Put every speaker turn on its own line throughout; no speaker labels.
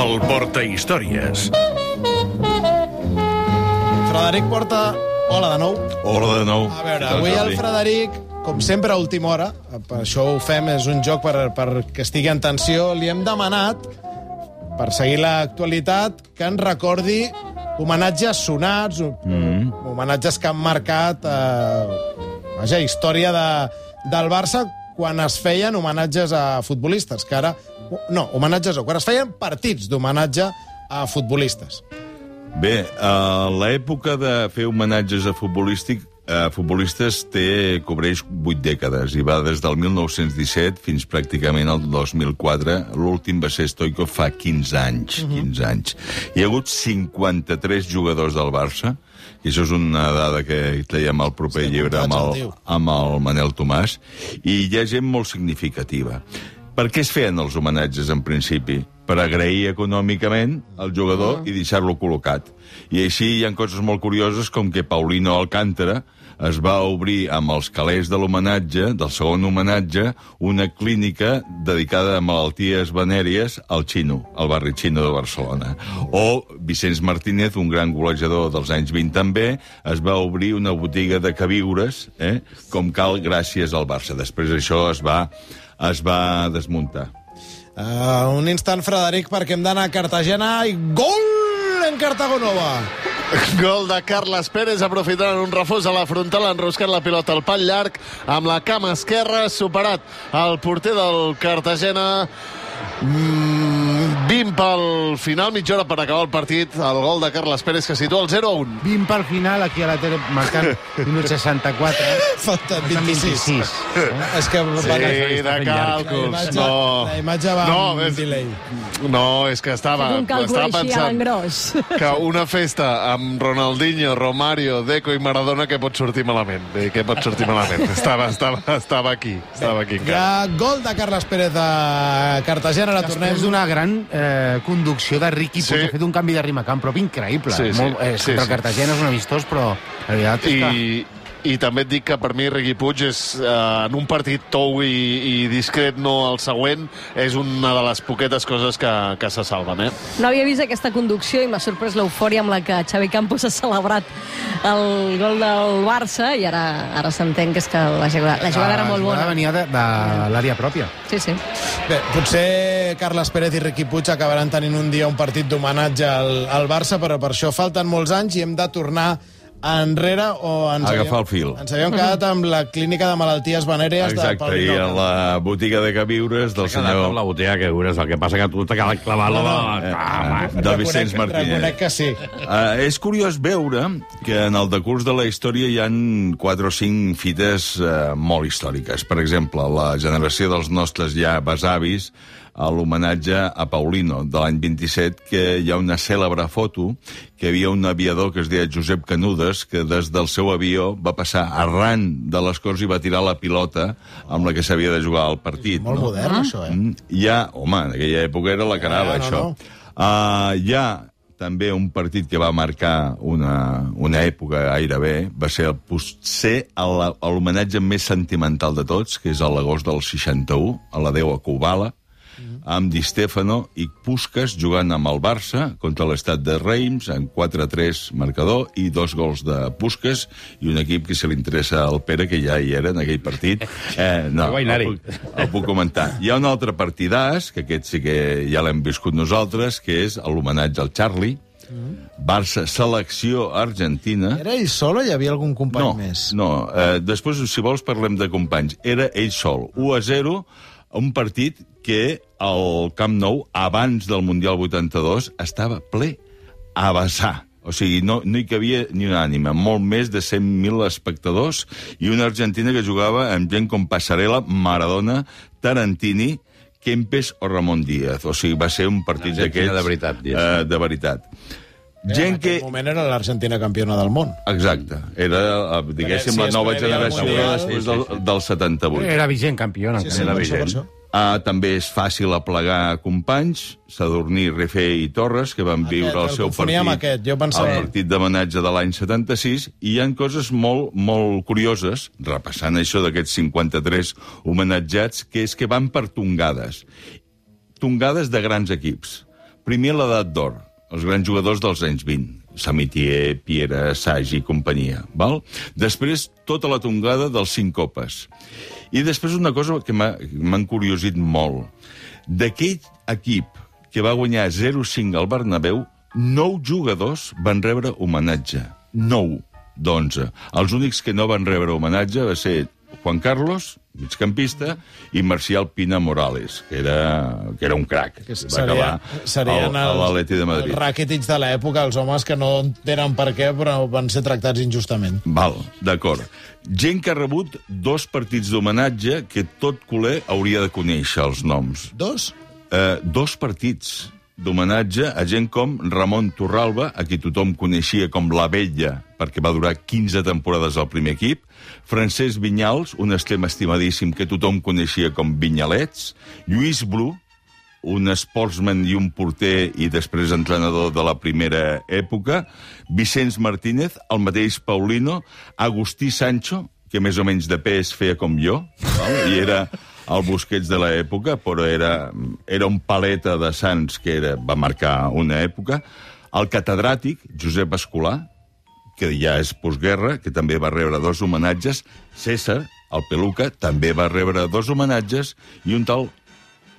El Portahistòries.
Frederic Porta, hola de nou.
Hola de nou.
A veure, avui el Frederic, com sempre a última hora, per això ho fem, és un joc per que estigui en tensió, li hem demanat, per seguir l'actualitat, que ens recordi homenatges sonats, homenatges que han marcat història del Barça quan es feien homenatges a futbolistes, que ara... No, homenatges no, quan es feien partits d'homenatge a futbolistes.
Bé, l'època de fer homenatges a futbolistes cobreix 8 dècades i va des del 1917 fins pràcticament al 2004. L'últim va ser Stoichkov fa 15 anys. 15 anys. Hi ha hagut 53 jugadors del Barça, i això és una dada que traiem al proper llibre amb el Manel Tomàs, i hi ha gent molt significativa. Per què es feien els homenatges, en principi? Per agrair econòmicament al jugador i deixar-lo col·locat. I així hi ha coses molt curioses, com que Paulino Alcántara es va obrir amb els calés de l'homenatge, del segon homenatge, una clínica dedicada a malalties venèries al Xino, al barri Xino de Barcelona. O Vicenç Martínez, un gran golejador dels anys 20 també, es va obrir una botiga de queviures, com cal, gràcies al Barça. Després això es va desmuntar.
Un instant, Frederic, perquè hem d'anar a Cartagena i gol en Cartagonova!
Gol de Carles Pérez, aprofitant un refús a la frontal, enroscant la pilota al pal llarg, amb la cama esquerra, superat el porter del Cartagena. 20 pel final, mitja hora per acabar el partit, el gol de Carles Pérez que situa el 0-1.
20 pel final, aquí a la tele marcant minut 64.
Falten 26. És que...
Sí, de càlculs.
La imatge va amb delay.
No, és que estava pensant que una festa amb Ronaldinho, Romario, Deco i Maradona que pot sortir malament. Que pot sortir malament. Estava aquí.
Hi ha gol de Carles Pérez a Cartagena.
Després d'una gran conducció de Riqui Puig, ha fet un canvi de ritme camp propi increïble. El Cartagena és un amistós, però la veritat és que...
I també et dic que per mi Riqui Puig és, en un partit tou i discret, no el següent, és una de les poquetes coses que se salven.
No havia vist aquesta conducció i m'ha sorprès l'eufòria amb la que Xavi Campos ha celebrat el gol del Barça, i ara s'entén que és que la jugada era molt bona.
La jugada venia de l'àrea pròpia.
Sí.
Bé, potser Carles Pérez i Riqui Puig acabaran tenint un dia un partit d'homenatge al Barça, però per això falten molts anys i hem de tornar enrere o
agafar el fil.
Ens havíem quedat amb la clínica de malalties venèries de Paulino.
Exacte, i en la botiga de queviures del senyor...
La botiga de queviures, el que passa que tu t'ha quedat clavar-la
de Vicenç Martínez.
Reconec que sí.
És curiós veure que en el decurs de la història hi han 4 o 5 fites molt històriques. Per exemple, la generació dels nostres ja besavis, a l'homenatge a Paulino de l'any 27, que hi ha una cèlebre foto que hi havia un aviador que es deia Josep Canudes, que des del seu avió va passar arran de les Corts i va tirar la pilota amb la que s'havia de jugar al partit.
Molt modern, això,
Home, en aquella època era la que anava, això. Hi ha també un partit que va marcar una època gairebé, va ser potser l'homenatge més sentimental de tots, que és a l'agost del 61, a la Déu a Kubala, amb Di Stefano i Puskás jugant amb el Barça contra l'Estat de Reims en 4-3 marcador i 2 gols de Puskás i un equip que se li interessa al Pere, que ja hi era en aquell partit. No, el puc comentar. Hi ha un altre partidàs, que aquest sí que ja l'hem viscut nosaltres, que és l'homenatge al Charlie. Barça, selecció argentina.
Era ell sol o hi havia algun company més?
No, després, si vols, parlem de companys. Era ell sol. 1-0, un partit que al Camp Nou, abans del Mundial 82, estava ple a vessar. O sigui, no hi cabia ni una ànima. Molt més de 100.000 espectadors i una Argentina que jugava amb gent com Passarella, Maradona, Tarantini, Kempes o Ramon Díaz. O sigui, va ser un partit d'aquests... De veritat.
En aquell moment era l'Argentina campiona del món.
Exacte. Era, diguéssim, la nova generació després del 78.
Era vigent campiona.
Era vigent. També és fàcil aplegar companys, Sadurní, Refé i Torres, que van viure el seu partit, el partit d'homenatge de l'any 76, i hi ha coses molt, molt curioses, repassant això d'aquests 53 homenatjats, que és que van per tongades. Tongades de grans equips. Primer l'edat d'or, els grans jugadors dels anys 20. Samitier, Piera, Sagi i companyia. Val? Després, tota la tongada dels 5 copes. I després una cosa que m'ha encuriosit molt. D'aquell equip que va guanyar 0-5 al Bernabéu, 9 jugadors van rebre homenatge. 9 d'11. Els únics que no van rebre homenatge va ser Juan Carlos, migcampista, i Marcial Pina Morales, que era un crac. Va acabar a l'Atleti de Madrid.
Els Rakitic de l'època, els homes que no tenen per què, però van ser tractats injustament.
Val, d'acord. Gent que ha rebut 2 partits d'homenatge que tot culer hauria de conèixer els noms.
2?
2 partits d'homenatge a gent com Ramon Torralba, a qui tothom coneixia com la Vella, perquè va durar 15 temporades al primer equip, Francesc Vinyals, un extrem estimadíssim que tothom coneixia com Vinyalets, Lluís Bru, un sportsman i un porter i després entrenador de la primera època, Vicenç Martínez, el mateix Paulino, Agustí Sancho, que més o menys de pes feia com jo, i era el Busquets de l'època, però era un paleta de Sants que va marcar una època, el catedràtic Josep Escolà, que ja és postguerra, que també va rebre 2 homenatges, César, el Peluca, també va rebre 2 homenatges, i un tal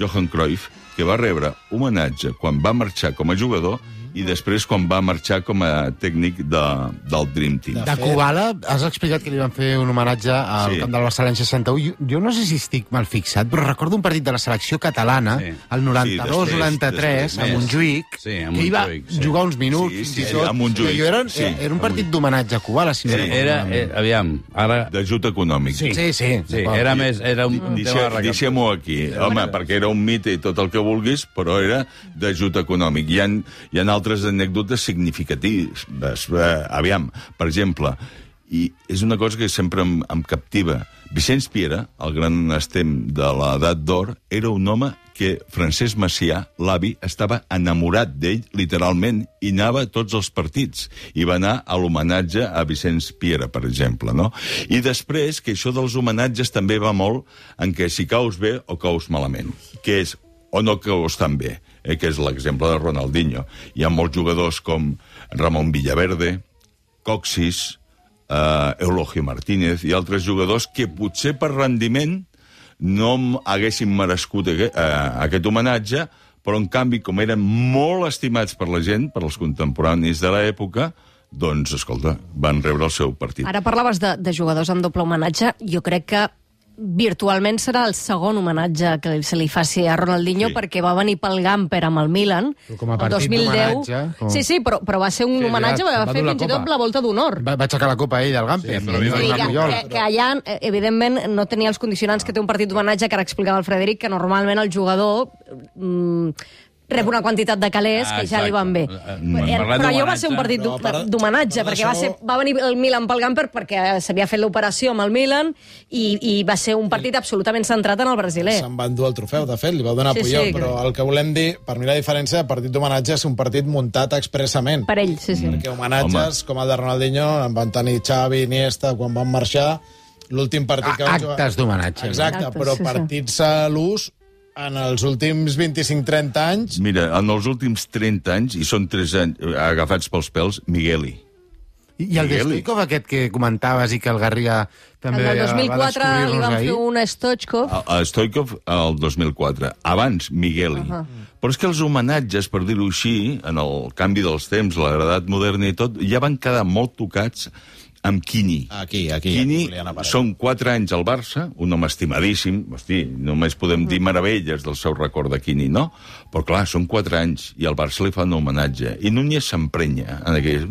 Johan Cruyff, que va rebre homenatge quan va marxar com a jugador i després quan va marxar com a tècnic del Dream Team.
De Kubala, has explicat que li van fer un homenatge al camp del Barça l'any 61. Jo no sé si estic mal fixat, però recordo un partit de la selecció catalana, el 92-93, a Montjuïc, que hi va jugar uns minuts,
a Montjuïc.
Era un partit d'homenatge a Kubala, si no recordo.
Aviam, ara...
D'ajut econòmic.
Sí.
Era un tema de recaptació.
Deixem-ho aquí, home, perquè era un mite i tot el que vulguis, però era d'ajut econòmic. Hi ha altres anècdotes significatives. Aviam, per exemple, i és una cosa que sempre em captiva. Vicenç Piera, el gran estem de l'edat d'or, era un home que Francesc Macià, l'avi, estava enamorat d'ell, literalment, i anava a tots els partits. I va anar a l'homenatge a Vicenç Piera, per exemple, no? I després, que això dels homenatges també va molt en què si caus bé o caus malament, que és o no caus tan bé, que és l'exemple de Ronaldinho. Hi ha molts jugadors com Ramon Villaverde, Coxis, Eulogio Martínez i altres jugadors que potser per rendiment no haguessin merescut aquest homenatge, però en canvi, com eren molt estimats per la gent, per als contemporanis de l'època, doncs, escolta, van rebre el seu partit.
Ara parlaves de jugadors amb doble homenatge. Jo crec que virtualment serà el segon homenatge que se li faci a Ronaldinho, perquè va venir pel Gamper amb el Milan
com a partit d'homenatge.
Sí, però va ser un homenatge, va fer fins i tot la volta d'honor.
Va aixecar la copa ell del Gamper.
Que allà, evidentment, no tenia els condicionants que té un partit d'homenatge, que ara explicava el Frederic, que normalment el jugador rep una quantitat de calés que ja li van bé. Però allò va ser un partit d'homenatge, perquè va venir el Milan pel Gamper perquè s'havia fet l'operació amb el Milan i va ser un partit absolutament centrat en el brasiler.
Se'n va endur el trofeu, de fet, li va donar Puyol, però el que volem dir, per mi la diferència de partit d'homenatge és un partit muntat expressament.
Per ell, sí.
Perquè homenatges, com el de Ronaldinho, en van tenir Xavi, Iniesta, quan van marxar, l'últim partit que van jugar...
Actes d'homenatge.
Exacte, però partits a l'ús en els últims 25-30 anys...
Mira, en els últims 30 anys, i són 3 anys agafats pels pèls, Migueli.
I el de Stoikov aquest que comentaves i que el Garriga també
va descobrir-nos ahir? El del 2004 li van fer un Stoichkov.
A Stoikov, el 2004. Abans, Migueli. Però és que els homenatges, per dir-ho així, en el canvi dels temps, l'edat moderna i tot, ja van quedar molt tocats amb Quini. Quini són 4 anys al Barça, un home estimadíssim, hosti, només podem dir meravelles del seu record de Quini, no? Però clar, són 4 anys i al Barça li fa un homenatge. I Núñez s'emprenya.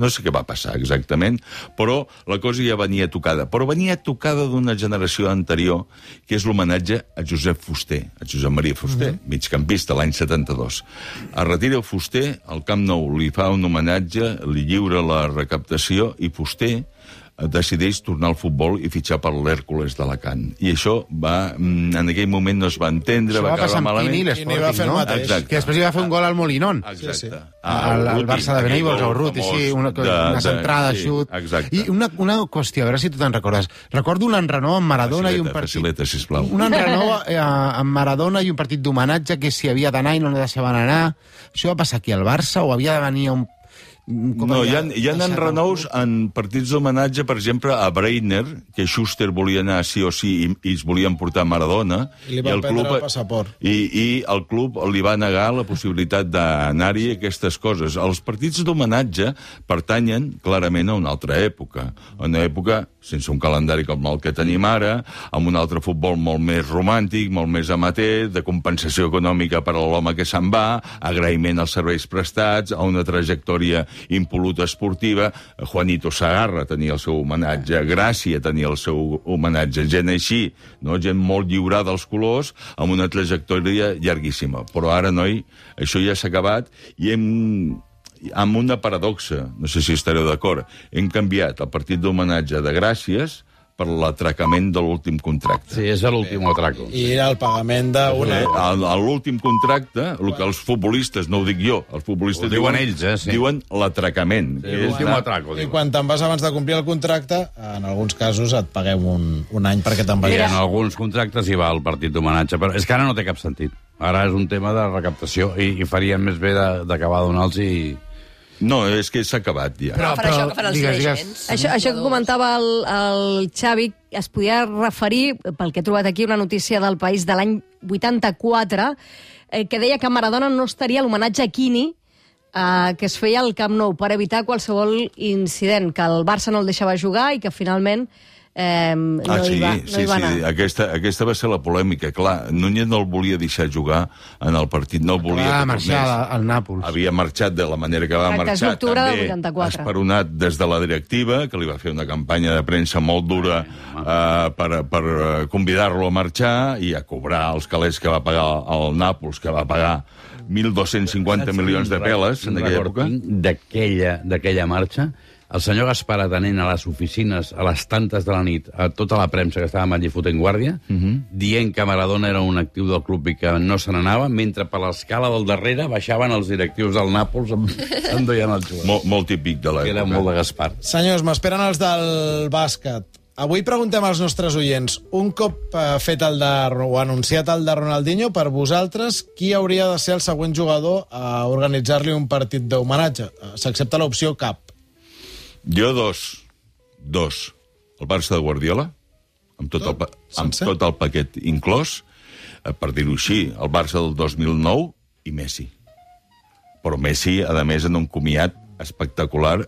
No sé què va passar exactament, però la cosa ja venia tocada. Però venia tocada d'una generació anterior, que és l'homenatge a Josep Fuster, a Josep Maria Fuster, migcampista, l'any 72. Es retira Fuster, al Camp Nou li fa un homenatge, li lliura la recaptació, i Fuster decideix tornar al futbol i fitxar per l'Hèrcules d'Alacant. I això va, en aquell moment no es va entendre, va acabar malament.
Quini va fer el mateix.
Exacte.
Que després hi va fer un gol al Molinón.
Exacte.
Al Barça de Benítez, al Ruti, sí, una centrada, xut.
Exacte.
I una qüestió, a veure si tu te'n recordes. Recordo un enrenou amb Maradona i un partit...
Facileta, sisplau.
Un enrenou amb Maradona i un partit d'homenatge que si havia d'anar i no deixaven anar. Això va passar aquí al Barça o havia de venir a un...
No, hi ha enrenous en partits d'homenatge, per exemple, a Breitner, que Schuster volia anar sí o sí i es volien portar Maradona.
I li van prendre el passaport.
I el club li va negar la possibilitat d'anar-hi aquestes coses. Els partits d'homenatge pertanyen clarament a una altra època. Una època sense un calendari com el que tenim ara, amb un altre futbol molt més romàntic, molt més amateur, de compensació econòmica per a l'home que se'n va, agraïment als serveis prestats, a una trajectòria impoluta esportiva. Juanito Segarra tenia el seu homenatge, Gràcia tenia el seu homenatge, gent així, no? Gent molt lliurada als colors, amb una trajectòria llarguíssima. Però ara, noi, això ja s'ha acabat i amb una paradoxa, no sé si estareu d'acord, hem canviat el partit d'homenatge de Gràcies per l'atracament de l'últim contracte.
Sí, és l'últim atraco.
I era el pagament d'una...
L'últim contracte, el que els futbolistes, no ho dic jo, els futbolistes
diuen ells, sí.
Diuen l'atracament.
Sí, l'últim atraco.
I quan te'n vas abans de complir el contracte, en alguns casos et paguem un any perquè te'n vagis.
En alguns contractes hi va el partit d'homenatge, però és que ara no té cap sentit. Ara és un tema de recaptació i faríem més bé d'acabar donant-los i...
No, és que s'ha acabat ja.
Però això que fan els dirigents. Això que comentava el Xavi, es podia referir, pel que he trobat aquí, una notícia del País de l'any 84, que deia que Maradona no estaria a l'homenatge a Quini, que es feia al Camp Nou, per evitar qualsevol incident, que el Barça no el deixava jugar i que finalment no hi va anar.
Aquesta va ser la polèmica. Clar, Núñez no el volia deixar jugar en el partit, no el volia
que marxar al Nàpols.
Havia marxat de la manera que va marxar, també esperonat des de la directiva, que li va fer una campanya de premsa molt dura per convidar-lo a marxar i a cobrar els calés que va pagar el Nàpols, que va pagar 1.250 milions de peles en aquella època.
D'aquella marxa, el senyor Gaspar atenent a les oficines a les tantes de la nit a tota la premsa que estava allí fotent guàrdia, dient que Maradona era un actiu del club i que no se n'anava, mentre per l'escala del darrere baixaven els directius del Nàpols endoiant el jugador.
Molt típic de l'època.
Era molt de Gaspar.
Senyors, m'esperen els del bàsquet. Avui preguntem als nostres oients, un cop fet o anunciat el de Ronaldinho, per vosaltres, qui hauria de ser el següent jugador a organitzar-li un partit d'homenatge? S'accepta l'opció cap.
Jo dos. El Barça de Guardiola, amb tot el paquet inclòs, per dir-ho així, el Barça del 2009 i Messi. Però Messi, a més, en un comiat espectacular,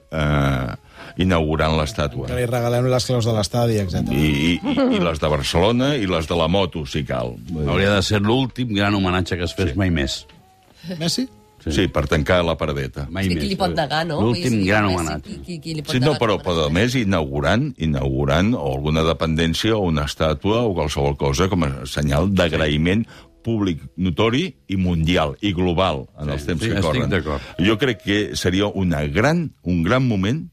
inaugurant l'estàtua.
Que li regalem les claus de l'estadi, etc.
I les de Barcelona i les de la moto, si cal.
Hauria de ser l'últim gran homenatge que es fes mai més.
Messi?
Sí, per tancar la paradeta.
Mai més. Qui li pot negar, no?
L'últim gran homenatge.
Sí, no, però a més inaugurant o alguna dependència o una estàtua o qualsevol cosa com a senyal d'agraïment públic notori i mundial i global en els temps que corren. Jo crec que seria un gran moment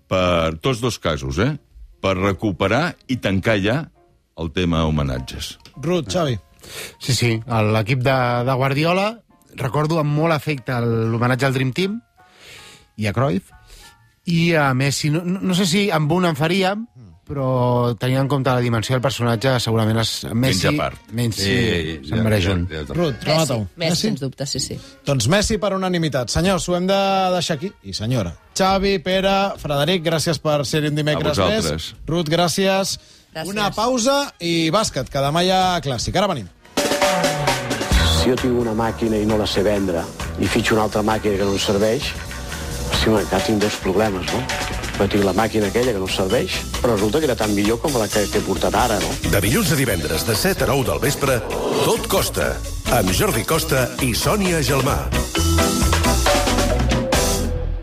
per tots dos casos, per recuperar i tancar ja el tema homenatges.
Ruth, Xavi.
Sí, l'equip de Guardiola, recordo amb molt afecte l'homenatge al Dream Team i a Cruyff, i a Messi, no sé si amb un en faríem, però tenint en compte la dimensió del personatge, segurament Messi se'n mereix un.
Ruth, remata-ho.
Messi, sens dubte, sí.
Doncs Messi per unanimitat. Senyors, ho hem de deixar aquí. I senyora. Xavi, Pere, Frederic, gràcies per ser-hi un dimecres més. Ruth, gràcies. Una pausa i bàsquet, que demà hi ha clàssic. Ara venim.
Si jo tinc una màquina i no la sé vendre i fitxo una altra màquina que no em serveix, encara tinc dos problemes, no? Jo tinc la màquina aquella que no serveix, però resulta que era tan millor com la que he portat ara, no?
De dilluns a divendres, de 7 a 9 del vespre, Tot Costa, amb Jordi Costa i Sònia Gelmà.